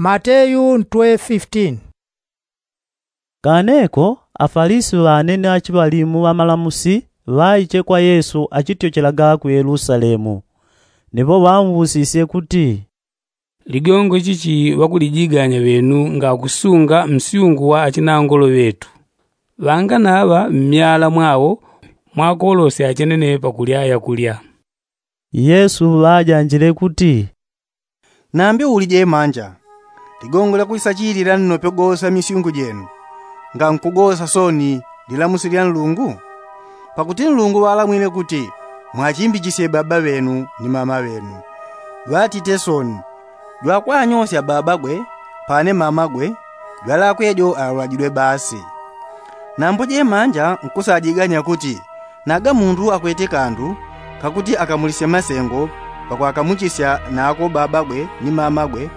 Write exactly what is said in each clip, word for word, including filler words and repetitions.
Mateyu ntwe fifteen. Kaneko afalisi ŵane ni achiŵalimu ŵamalamusi ŵaiche kwa yesu achityochelaga ku yelusalemu. Nipo ŵaumvusisye kuti, ligongo chichi ŵakulijiganya ŵenu ngakusunga msyungu wa achinangolo ŵetu? Ŵanganaŵa mmyala mwawo mwakolosya achenene pakulya yakulya. Yesu ŵajanjile kuti, nambi uli jemanja, ligongo lyakulisachilila nnope gosa misyungu jenu ngankugosa soni lilamusi lya nlungu? Pakuti nlungu ŵalamwile kuti mwachimbichisye baba ŵenu ni mama ŵenu. Ŵatite soni jwakwanyosya babagwe pane mamagwe, jwalakwe jo aulajidwe basi. Nambo jemanja nkusajiganya kuti naga mundu akwete kandu kakuti akamulisye masengo pakwakamuchisya nako babagwe ni mamagwe,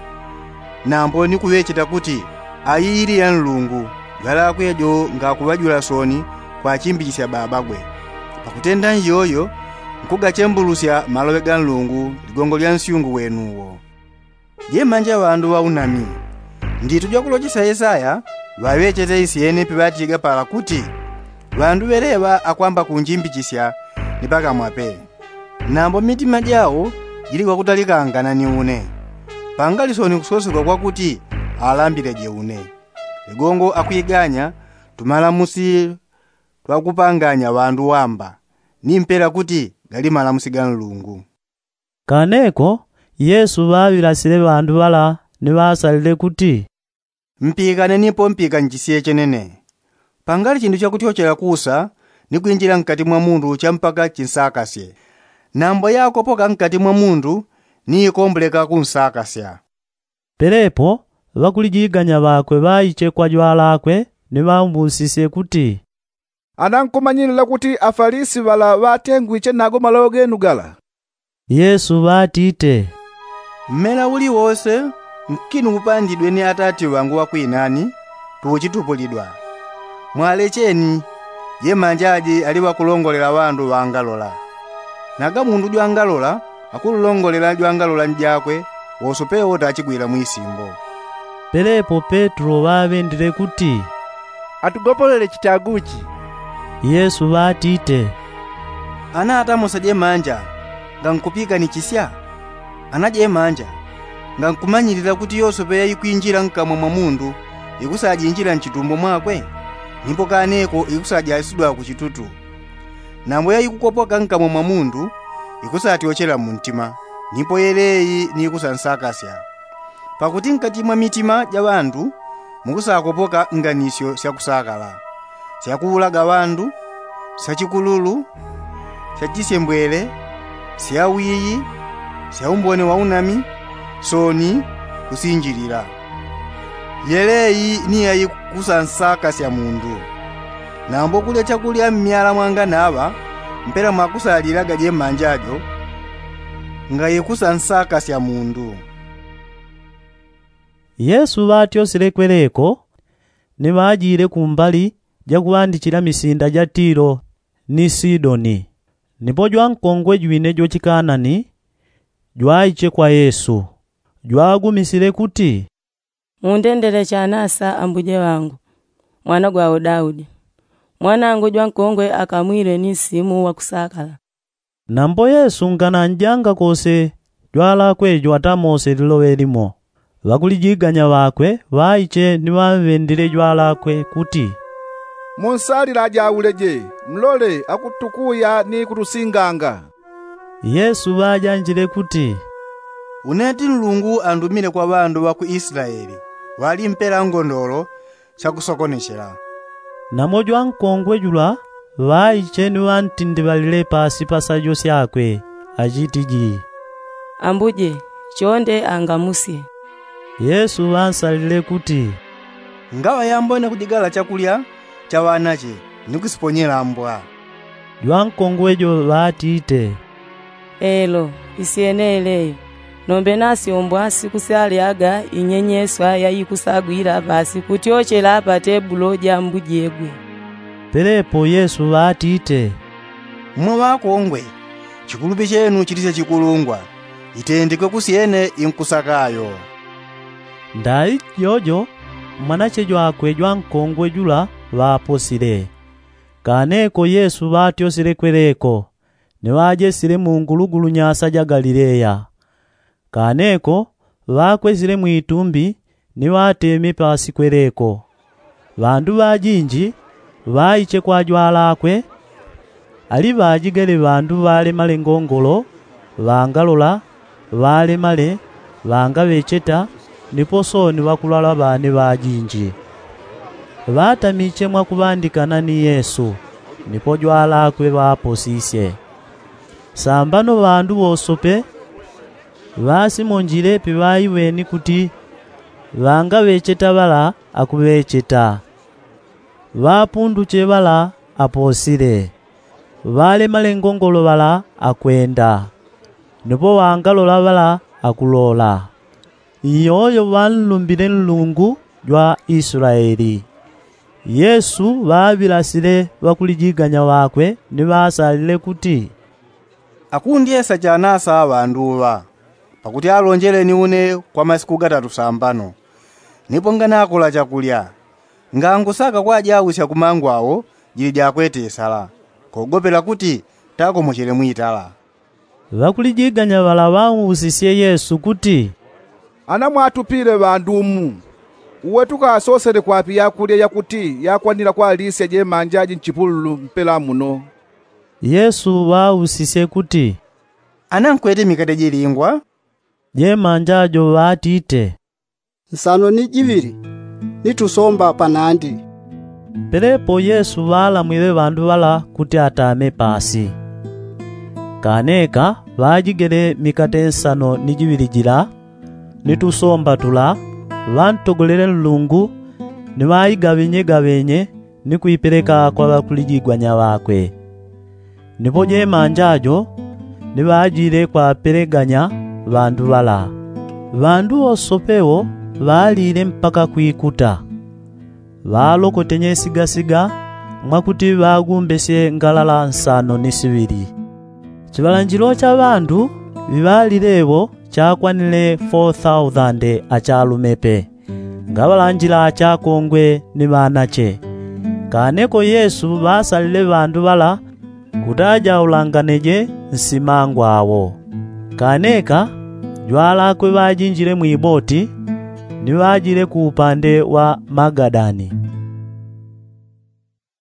nambo ni kuŵecheta kuti aiyili ya nlungu, jwalakwe jo ngakuŵajula soni kwachimbichisya babagwe. Pakutenda nyoyo nkugachembulusya maloŵe ga nlungu ligongo lya nsyungu wenuwo. Jemanja ŵandu ŵaunami, nditu jwakulochesya yesaya ŵaŵechete isyene piŵatiga pala kuti, ŵandu ŵeleŵa akwamba kunjimbichisya ni pakamwa pe, nambo mitima jawo jili kwakutalikangana ni une. Pangali soni kusosyegwa kwakuti alambileje une. Ligongo akwiganya tumalamusi twakupanganya ŵandu wamba ni mpela kuti gali malamusi ga nlungu. Kaneko yesu ŵaŵilasile ŵandu ŵala ni ŵasalile kuti, mpikane nipo mpikanjisye chenene. Pangali chindu chakutyochela kusa ni kwinjila nkati mwa mundu champaka chinsakasye. Nambo yakopoka nkati mwa mundu ni ikomboleka kunsakasya. Pelepo ŵakulijiganya ŵakwe ŵaiche kwa jwalakwe ni ŵaumvusisye kuti, ana nkumanyilila kuti afalisi ŵala ŵatengwiche nago maloŵo genu gala? Yesu ŵatite, mmela uliwose nkinu upandidwe ni atati ŵangu ŵakwinani tuuchitupulidwa. Mwalecheni, jemanjaji ali ŵakulongolela ŵandu ŵangalola. Naga mundu jwangalola akululongolela jwangalola njakwe wosope wotachigwila mwisimbo. Pelepo petro ŵaŵendile kuti, atugopolele chitaguchi. Yesu ŵatite, ana atamose jemanja ngankupiikanichisya? Ana jemanja ngankumanyilila kuti yosope yaikwinjila nkamwa mwa mundu ikusajinjila nchitumbo mwakwe, nipo kaneko ikusajasidwa kuchitutu. Nambo yaikukopoka nkamwa mwa mundu ikusatyochela muntima, nipo yeleyi ni ikusansakasya. Pakuti nkati mwa mitima ja ŵandu mukusakopoka nganisyo syakusakala, syakuulaga ŵandu, syachikululu, syachisyembwele, syawiyi, syaumbone waunami, soni, kusinjilila. Yeleyi ni yaikusansakasya mundu. Nambo kulya chakulya mmyala mwanganaŵa mpela mwakusalilaga jemanja jo ngaikusansakasya mundu. Yesu ŵatyosile kweleko ni ŵajile kumbali jakuŵandichila misinda ja tilo ni sidoni. Nipo jwankongwe jwine jwachikanani jwaiche kwa yesu, jwagumisile kuti, mundendele chanasa ambuje ŵangu, mwana gwao daudi. Mwanangu jwankongwe akamwile ni nsimu wakusakala. Nambo yesu ngananjanga kose jwalakwe jo atamose liloŵe limo. Ŵakulijiganya ŵakwe ŵaiche ni ŵamŵendile jwalakwe kuti, munsalilaje auleje, mlole akutukuya ni kutusinganga. Yesu ŵajanjile kuti, une ti nlungu andumile kwa ŵandu ŵa ku isilaeli, ŵali mpela ngondolo syakusokonechela. Namo jwankongwe jula ŵaiche ni ŵantindiŵalile pasi pa sajo syakwe, achitiji, ambuje, chonde angamusye. Yesu ŵansalile kuti, ngaŵa yambone kujigala chakulya cha ŵanache ni kusiponyela mbwa. Jwankongwe jo ŵatite, elo, isyene eleyo. Nombe nasyombwa sikusyalyaga inyenyeswa yaikusagwila pasi kutyochela pa tebulo ja mbujegwe. Pelepo yesu ŵatite, mmwe ŵakongwe, chikulupi chenu chilisye chikulungwa, itendekwe kusyene inkusakayo. Ndai jojo mwanache jwakwe jwankongwe jula ŵaposile. Kaneko yesu ŵatyosile kweleko, ni ŵajesile mu ngulugulu nyasa ja galileya. Kaneko ŵakwesile mwitumbi ni ŵateme pasi kweleko. Ŵandu ŵajinji ŵaiche kwa jwalakwe. Ali ŵajigele ŵandu ŵalemale ngongolo, ŵangalola, ŵalemale, ŵangaŵecheta, nipo sooni ŵakulwala ŵane ŵajinji. Ŵatamiche mwakuŵandikana ni yesu, nipo jwalakwe ŵaposisye. Sambano ŵandu ŵosope ŵasimonjile piŵaiweni kuti ŵangaŵecheta ŵala akuŵecheta, ŵapunduche ŵala aposile, ŵalemale ngongolo ŵala akwenda, nipo ŵangalola ŵala akulola. Iyoyo ŵanlumbile nlungu jwa islaeli. Yesu ŵaŵilasile ŵakulijiganya ŵakwe ni ŵasalile kuti, akundyesa chanasa ŵandu ŵa? Pakuti alonjeleni une kwa masiku gatatu sambano, nipo nganakola chakulya, ngangusaka kwajausya kumangu awo jili jakwete isala, kogopela kuti takomochele mwitala. Ŵakulijiganya ŵala ŵausisye yesu kuti, ana mwatupile ŵandu mu? Uwe tukasosele kwapi yakulya yakuti yakwanila kwalisya jemanja ji nchipululu mpela muno? Yesu ŵausisye kuti, ana nkwete mikate jilingwa? Jemanja jo ŵatite, nsano ni jiŵili, ni tusomba panandi. Pelepo yesu ŵalamwile ŵandu ŵala kuti atame pasi. Kaneka ŵajigele mikate nsano ni jiŵili jila, ni tusomba tula, ŵantogolele nlungu, ni ŵaigaŵenyegaŵenye, ni kuipeleka kwa ŵakulijiganya ŵakwe. Nipo jemanja jo ni ŵajile kwapeleganya ŵandu ŵala. Ŵandu ŵosope wo ŵalile mpaka kwikuta. Ŵalokotenye sigasiga mwakuti ŵagumbesye ngalala nsano ni siŵili. Chiŵalanjilo cha ŵandu ŵiŵalile wo chakwanile fo thausande achalume pe, ngaŵalanjila achakongwe ni ŵanache. Kaneko yesu ŵasalile ŵandu ŵala kuti ajaulangane je nsimangwa awo. Kaneka jwalakwe ŵajinjile mwiboti, ni ŵajile ku upande wa magadani.